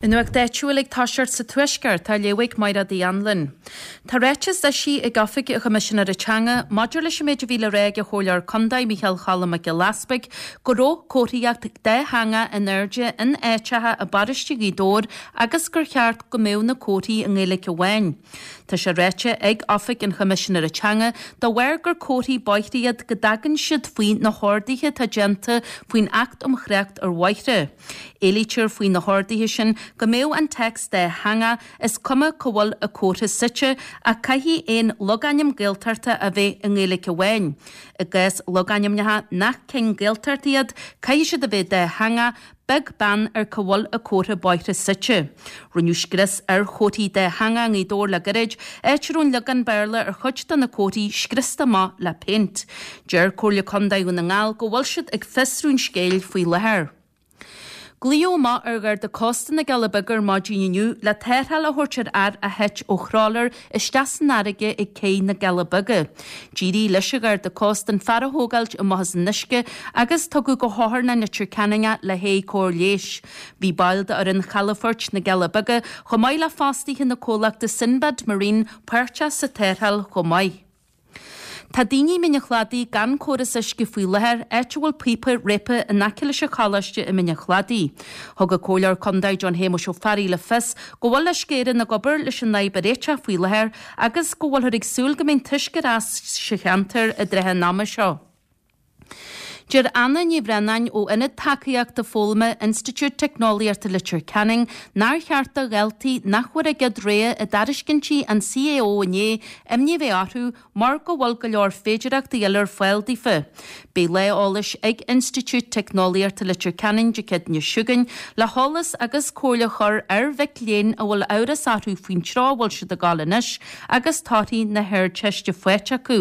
An nuacht áitiúil ag toiseacht sa Tuaisceart, á léamh ag Mairéad Uí Anluain. Tá ráiteas eisithe ag Oifig an Choimisinéara Teanga maidir leis an méid a bhí le rá ag an Chomhairleoir Contae Micheál Cholm Mac Giolla Easpaig go raibh comharthaíocht dátheangach in airde in áiteacha i bparóiste Ghaoth Dobhair agus gur cheart go mbeadh na comharthaí i nGaeilge amháin. Tá sé ráite ag Oifig an Choimisinéara Teanga dá bharr gur comharthaí bóithre iad go dtagann siad faoi na horduithe atá déanta faoin Acht um Thrácht ar Bhóithre. Éilítear faoi na horduithe sin go mbeadh an téacs dátheangach, is cuma cá bhfuil an comhartha suite, ach caithfidh aon logainm Gaeltachta a bheith i nGaeilge amháin. I gcás logainmneacha nach cinn Gaeltachta iad, caithfidh siad a bheith dátheangach, beag beann ar cá bhfuil an comhartha bóithre suite. Rinneadh scrios ar chomharthaí dátheangacha i nGaoth Dobhair le gairid, áit a raibh an leagán Béarla ar chuid de na comharthaí scriosta amach le péint. Deir Comhairle Contae Dhún na nGall go bhfuil siad ag fiosrú an scéil faoi láthair. Glaodh amach ar Gharda Cósta na gCealla Beaga ar maidin inniu le tarrtháil a thabhairt ar fhear a thit ó thrálaer isteach san fharraige ag cé na gCealla Beaga. D'éirigh leis an Gharda Cósta an fear a thógáilt amach as an uisce agus tugadh go hOtharlann Leitir Ceanainn é le haghaidh cóir leighis. Bhí baill d'fhoireann chalafoirt na gCealla Beaga chomh maith le fostaithe na comhlachta Sinbad Marine páirteach sa tarrtháil chomh maith. Tá daoine i Mín an Chladaigh gan córas uisce faoi láthair, áit a bhfuil píopa réabtha in aice leis an choláiste i Mín an Chladaigh. Thug an Comhairleoir Contae John Shéamuis Ó Fearraigh le fios go bhfuil Uisce Éireann ag obair leis an fhadhb a réiteach faoi láthair agus go bhfuilthear ag súil go mbeidh an t-uisce ar ais sa cheantar i dtrátha an ama seo. Deir Anna Ní Bhraonáin ó Ionad Tacaíochta Foghlama Institiúid Teicneolaíochta Leitir Ceanainn nár cheart do dhaltaí nach bhfuair a gcéad rogha i dtairiscintí an CAO inné imní a bheith orthu mar go bhfuil go leor féidearthachtaí eile ar fáil daofa. Beidh lá eolais ag Institiúid Teicneolaíochta Leitir Ceanainn Dé Céadaoine seo chugainn le heolas agus comhairle a chur ar mhic léinn a bhfuil amhras orthu faoin treo a bhfuil siad ag dul anois agus torthaí na hArdteiste faighte acu.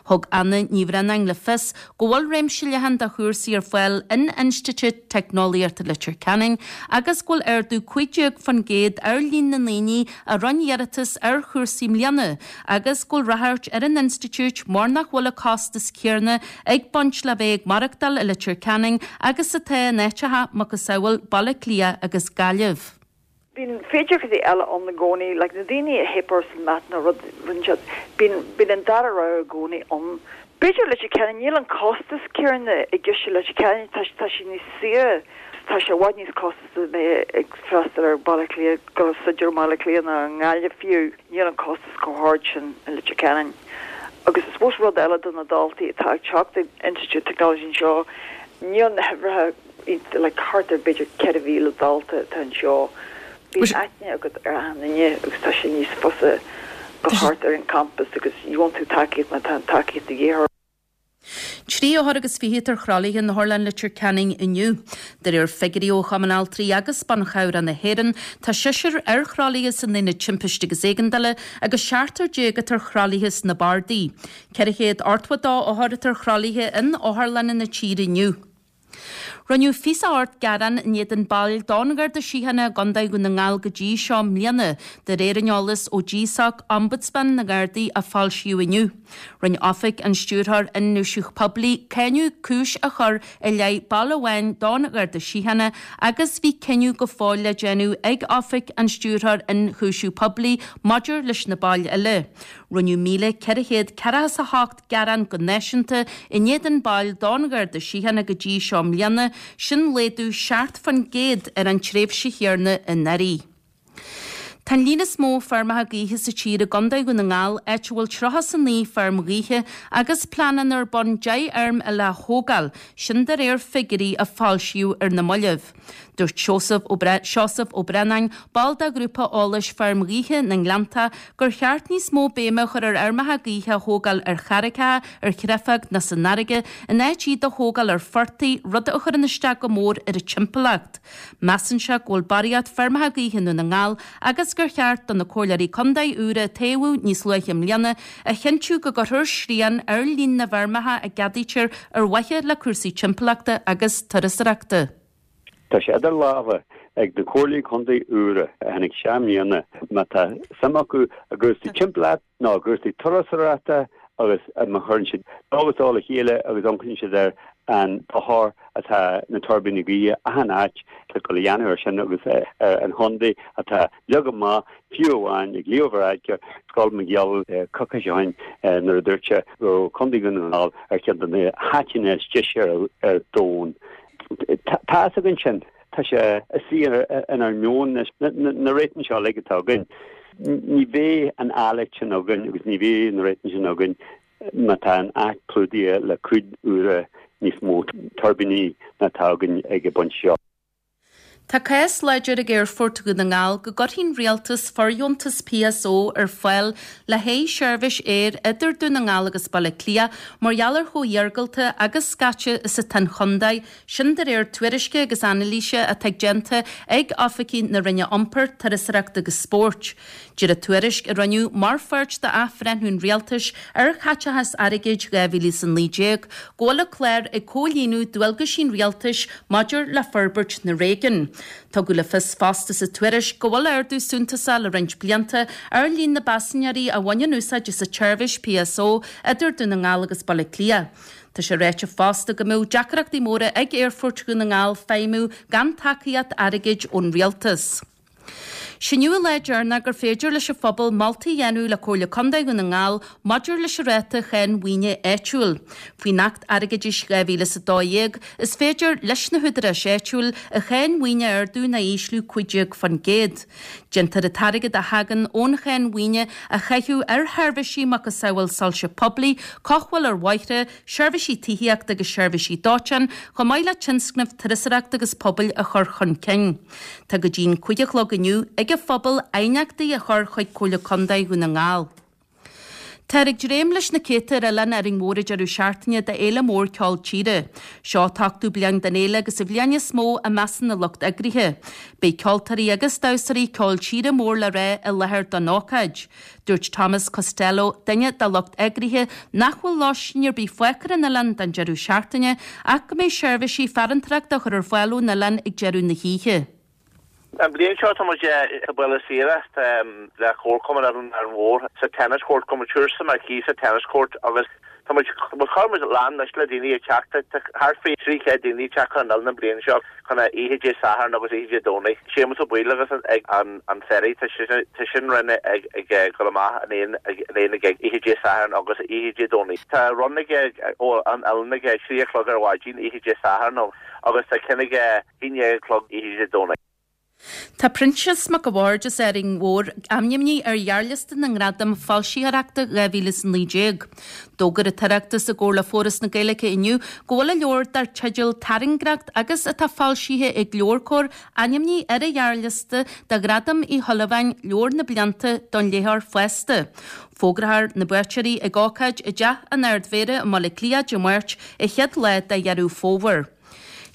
Thug Anna Ní Bhraonáin le fios go bhfuil réimse leathan de chúrsaí ar fáil in Institiúid Teicneolaíochta Leitir Ceanainn agus go bhfuil ardú 15% ar líon na ndaoine a rinne iarratas ar chúrsaí i mbliana agus go bhfuil ráchairt ar an institiúid mar nach bhfuil an costas céanna ag baint le bheith ag maireachtáil i Leitir Ceanainn agus atá in áiteacha macasamhail Baile Átha Cliath agus Gaillimh. Bíonn féidearthachtaí eile ann i gcónaí, like na daoine a theip orthu san math nó rud, rinne siad, bíonn, bíonn an dara rogha i gcónaí ann. B'fhéidir Leitir Ceanainn, níl an costas céanna i gceist i Leitir Ceanainn, tá, tá sé níos saoire, tá sé i bhfad níos costasaí a bheith ag freastal ar Baile Átha Cliath, dul ag staidéar i mBaile Átha Cliath ná i nGaillimh fiú, níl an costas chomh hard sin i Leitir Ceanainn. Agus I suppose rud eile do na daltaí atá ag teacht ag Institiúid Technology anseo, níl na huimhreacha, like thart ar b'fhéidir 4,000 dalta atá anseo. Bíonn aithne agat ar achan duine agus tá sé níos fusa dul thart ar an campas agus gheobhann tú tacaíocht má tá an tacaíocht de dhíth ort. 23 othar atá ar thralaithe in Otharlann Leitir Ceanainn inniu. De réir figiúirí ó Chumann Altraí agus Ban Chabhrach na hÉireann, tá seisear ar thralaithe san Aonad Timpiste agus Éigeandála agus seachtar atá ar thralaithe sna bardaí. 482 othar atá ar thralaithe in otharlanna na tíre inniu. Rinneadh 28 gearán in éadan baill don Gharda Síochána i gContae Dhún na nGall go dtí seo i mbliana, de réir an eolais ó GSOC, Ombudsman na nGardaí, a foilsíodh inniu. Rinne Oifig an Stiúrthóir Ionchúiseamh Poiblí cáineadh cúis a chur i leith ball amháin don Gharda Síochána agus bhí cinneadh go fóill le déanamh ag Oifig an Stiúrthóir Ionchúiseamh Poiblí maidir leis na baill eile. Rinneadh 1,448 gearán go náisiúnta in éadan baill don Gharda Síochána go dtí seo i mbliana, sin laghdú 7% ar an tréimhse chéanna anuraidh. Tá an líon is mó feirmeacha gaoithe sa tír i gContae Dhún na nGall, áit a bhfuil 39 feirm ghaoithe agus pleananna ar bun 10 fheirm eile a thógáil, sin de réir figiúirí a foilsíodh ar na mallaibh. Dúirt Seosamh Ó Seosamh Ó Braonáin, ball de ghrúpa eolais Feirm Ghaoithe na nGleannta, gur cheart níos mó béime a chur ar fheirmeacha gaoithe a thógáil ar charraigeacha, ar chreafág nó san fharraige, in áit iad a thógáil ar phortaigh, rud a chuireann isteach go mór ar an timpeallacht. Measann sé go bhfuil barraíocht feirmeacha gaoithe i nDún na nGall agus gur cheart do na comhairleoirí contae úra a toghadh níos luaithe i mbliana a chinntiú go gcuirfear srian ar líon na bhfeirmeacha a gceadaítear ar mhaithe le cúrsaí timpeallachta agus turasóireachta. Tá sé idir lámha ag na comhairlí contae úra a tháinig isteach i mbliana má tá suim acu i gcúrsaí timpeallachta nó i gcúrsaí turasóireachta agus má chuireann siad dó agus dó le chéile agus amharcann siad air. an dochar atá na tuirbíní gaoithe achan áit ag dul a dhéanamh air sin agus ar an chontae atá leagtha amach fiú amháin ag Leo Varadkar, Scoil McGill coicís ó shin nuair a dúirt sé go raibh Contae Dhún na nGall ar cheann de na háiteanna is deise ar domhan. Tá a fhios againn sin. Tá sé istigh inár meon anois. Na réitigh seo uilig atá againn, ní bheidh an áilleacht sin againn agus ní bheidh na réitigh sin againn má tá an áit clúdaithe le cúig uaire níos mó tuirbíní ná atá againn ag an bpointe seo. Tá cás láidir ag Aerfort Dhún na nGall go gcuirfidh an Rialtas fordheontas PSO ar fáil le haghaidh seirbhís aeir idir Dún na nGall agus Baile Átha Cliath mar gheall ar chomh hiargúlta agus scaite is atá an chontae, sin de réir tuairisce agus anailíse atá déanta ag oifigigh na Roinne Iompair, Turasóireachta agus Spóirt. Deir an tuairisc, a rinneadh mar pháirt d'athbhreithniú an Rialtais ar chaiteachas airgid 2019, go bhfuil an clár ag comhlíonadh dualgaisí an Rialtais maidir le forbairt na réigiún. Tugadh le fios fosta sa tuairisc go bhfuil ardú suntasach le roinnt blianta ar líon na bpaisinéirí a bhaineann úsáid as an tseirbhís PSO idir Dún na nGall agus Baile Átha Cliath. Tá sé ráite fosta go mbeadh deacrachtaí móra ag Aerfort Dhún na nGall feidhmiú gan tacaíocht airgid ón Rialtas. S'inniu an lá deireanach gur féidir leis an phobal moltaí a dhéanamh le Comhairle Contae Dhún na nGall maidir leis an ráta cháin mhaoine áitiúil. Faoin Acht Airgeadais 2012, is féidir leis na húdaráis áitiúil an cháin mhaoine a ardú nó a ísliú 15%. Déantar an t-airgead a thagann ón cháin mhaoine a chaitheamh ar sheirbhísí macasamhail soilse poiblí, cothabháil ar bhóithre, seirbhísí tithíochta agus seirbhísí dóiteáin, chomh maith le tionscnaimh turasóireachta agus pobail a chur chun cinn. Tá go dtí'n 5 a chlog inniu ag an phobal aighneachtaí a chur chuig Comhairle Contae Dhún na nGall. Táthar ag dréim leis na céadta ar Oileán Árainn Mhór an deireadh seachtaine d'fhéile mór ceol tíre. Seo an t-ochtú bliain den fhéile agus an bhliain is mó i measc na lucht eagraithe. Beidh ceoltóirí agus damhsóirí ceoil tíre mór le rá i láthair don ócáid. Dúirt Thomas Costello, duine dá lucht eagraithe, nach bhfuil lóistín ar bith fágtha ar an oileán don deireadh seachtaine ach go mbeidh seirbhísí farantóireachta á chur ar fáil ón oileán ag deireadh na hoíche. An bhliain seo tá muid sa bhaile saoire le Comharchumann Oileán Árainn Mhór sa tennis court, go muid sa marquee sa tennis court agus tá muid chuir muid lán anois le daoine ag teacht, tá thart faoi 300 daoine ag teacht chun an oileáin an bhliain seo. Chun a oíche Dé Sathairn agus oíche Dé Domhnaigh. Séamus Ó Baoill agus ag an ferry tá sin run ag dul amach in aon ag oíche Dé Sathairn agus oíche Dé Domhnaigh. Tá run aige ó an oileán ag 3 a chlog ar mhaidin oíche Dé Sathairn agus tá ceann aige 11 a chlog oíche Dé Domhnaigh. Tá Proinsias Mac a' Bhaird as Árainn Mhór ainmnithe ar ghearrliosta na nGradam Foilsitheoireachta 2019. D'fhógair an tOireachtas i gcomhar le Foras na Gaeilge inniu go bhfuil a leabhar dar teideal Tairngreacht agus atá foilsithe ag LeabhairCOMHAR ainmnithe ar an ghearrliosta do Ghradam Uí Shúilleabháin, Leabhar na Blianta don Léitheoir Fásta. Fógrófar na buaiteoirí ag ócáid i dTeach an Ard-Mhéara i mBaile Átha Cliath Dé Máirt, an chéad lá de Dheireadh Fómhair.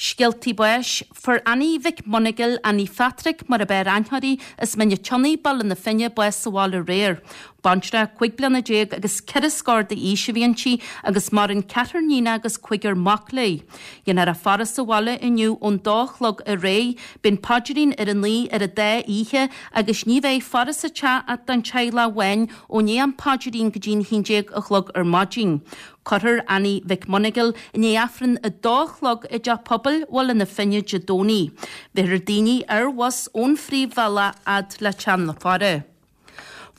Scéaltaí báis, Fuair Annie Mhic Monagail, Annie Phatrick mar ab fhearr aithne uirthi, as Mín an tSionnaigh, Baile na Finne, bás sa bhaile aréir. Baintreach 15 bliana agus ceithre scór d'aois a bhí inti agus maireann ceathrar níonach agus cúigear mac léi. Déanfar a faire sa bhaile inniu ón dó a chlog ar aghaidh, beidh an paidrín ar a naoi ar an dá oíche agus ní bheidh faire sa teach ach don teaghlach amháin ó ndiaidh an phaidrín go dtí'n 11 a chlog ar maidin. Cuirfear Annie Mhic Monagail i ndiaidh Aifreann a dó a chlog i dTeach Pobail Bhaile na Finne Dé Domhnaigh. Bhéarfar daoine ar bhus ón phríomhbhealach fhad le teach na faire.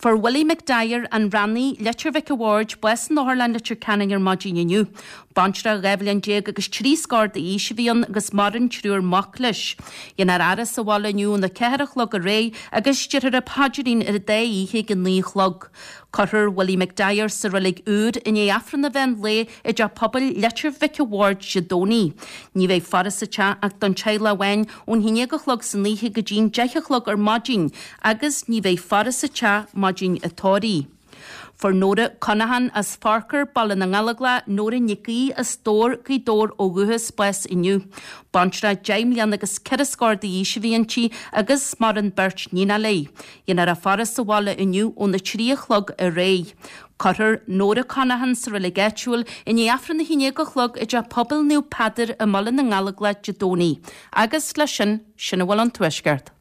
Fuair Willie McDyer, an Rannaigh, Leitir Mhic a' Bhaird, bás in Otharlann Leitir Ceanainn ar maidin inniu. Baintreach 12 bhliain agus trí scór d'aois a bhí ann agus maireann triúr mac leis. Déanfar a fhaire sa bhaile inniu óna ceathair a chlog ar aghaidh agus déarfar an paidrín ar an dá oíche ag a naoi a chlog. Cuirfear Willie McDyer sa reilig úr i ndiaidh Aifreann an mheán lae i dTeach Pobail Leitir Mhic a' Bhaird Dé Domhnaigh. Ní bheidh faire sa teach ach don teaghlach amháin ón 11 a chlog san oíche go dtí'n 10 a chlog ar maidin agus ní bheidh faire sa teach maidin an tórraimh. Fuair Nóra Conaghan as Forcar, Baile na nGallóglach, Nóra Nic Aoidh as Dobhar, Gaoth Dobhair ó dhúchas, bás inniu. Baintreach 10 mbliana agus ceithre scór d'aois a bhí inti agus maireann beirt níonach léi. Déanfar a faire sa bhaile inniu óna 3 a chlog ar aghaidh. Cuirfear Nóra Conaghan sa reilig áitiúil i ndiaidh Aifreann a 11 a chlog i dTeach Pobail Naomh Peadar i mBaile na nGallóglach Dé Domhnaigh. Agus leis sin, sin a bhfuil ón Tuaisceart.